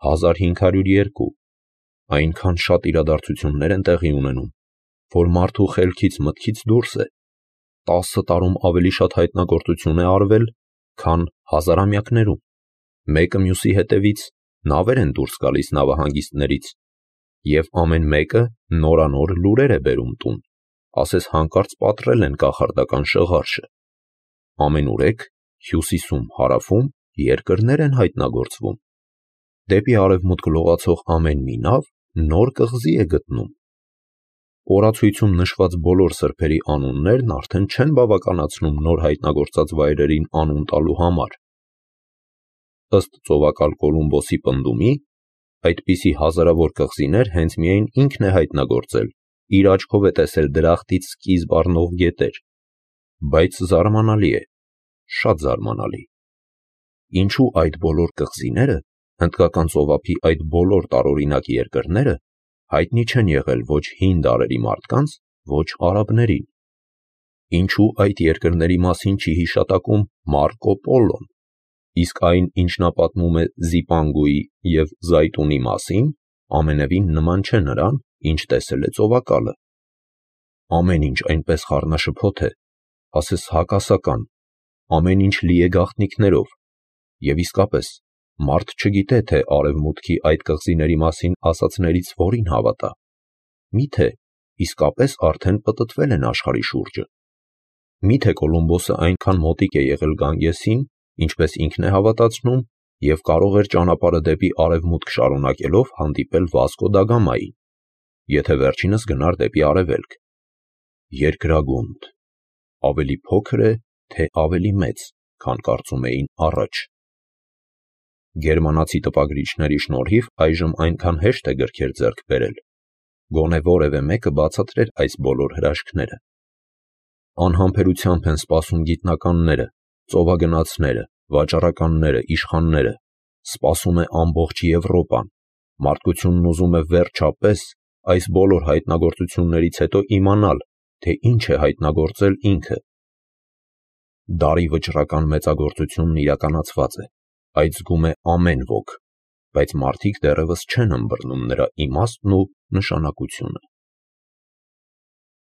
1502, այնքան շատ իրադարձություններ են տեղի ունենում, որ մարդու խելքից մտքից դուրս է, 10 տարում ավելի շատ հայտնագործություն է արվել, քան հազարամյակներում, մեկը մյուսի հետևից նավեր են դուրս գալիս նավահանգիստներից, և ամեն մեկը նորանոր լուրեր է բերում տուն, ասես հանկարծ պատռել են կախարդական շղարշը, ամենուրեք հյուսիսում, հարավում երկրներ են հայտնագործվում, դեպի արևմուտք լողացող ամեն մի նավ նոր կղզի է գտնում, օրացույցում նշված բոլոր սրբերի անուններն արդեն չեն բավականացնում նոր հայտնագործած վայրերին անուն տալու համար, ըստ ծովակալ Կոլումբոսի պնդումի, այդպիսի հազարավոր կղզիներ հենց միայն ինքն է հայտնագործել, իր աչքով է տեսել դրախտից սկիզբ առնող գետեր, բայց զարմանալի է, շատ զարմանալի, ինչու այդ բոլոր կղզիները, հնդկական ծովափի այդ բոլոր տարօրինակ երկրները հայտնի չեն եղել ոչ հին դարերի մարդկանց, ոչ արաբներին, ինչու այդ երկրների մասին չի հիշատակում Մարկո Պոլոն, իսկ այն, ինչ նա պատմում է Զիպանգուի և Զայտունի մասին, ամենևին նման չէ նրան, ինչ տեսել է ծովակալը, ամեն ինչ այնպես խառնաշփոթ է, ասես հակասական, ամեն ինչ լի է գաղտնիքներով, և իսկապես մարդ չգիտե, թե արևմուտքի այդ կղզիների մասին ասածներից որին հավատա, միթե իսկապես արդեն պտտվել են աշխարհի շուրջը, միթե Կոլումբոսը այնքան մոտիկ է եղել Գանգեսին, ինչպես ինքն է հավատացնում, և կարող էր ճանապարհը դեպի արևմուտք շարունակելով հանդիպել Վասկո դա Գամային, եթե վերջինս գնար դեպի արևելք, երկրագունդ, ավելի փոքր է, թե ավելի մեծ, քան կարծում էին առաջ, գերմանացի տպագրիչների շնորհիվ այժմ այնքան հեշտ է գրքեր ձեռք բերել, գոնե որևէ մեկը բացատրեր այս բոլոր հրաշքները, անհամբերությամբ են սպասում գիտնականները, ծովագնացները, վաճառականները, իշխանները, սպասում է ամբողջ Եվրոպան, մարդկությունն ուզում է վերջապես այս բոլոր հայտնագործություններից հետո իմանալ, թե ինչ է հայտնագործել ինքը, դարի վճռական մեծագործությունն իրականացված է, այդ զգում է ամեն ոք, բայց մարդիկ դեռևս չեն ըմբռնում նրա իմաստն ու նշանակությունը։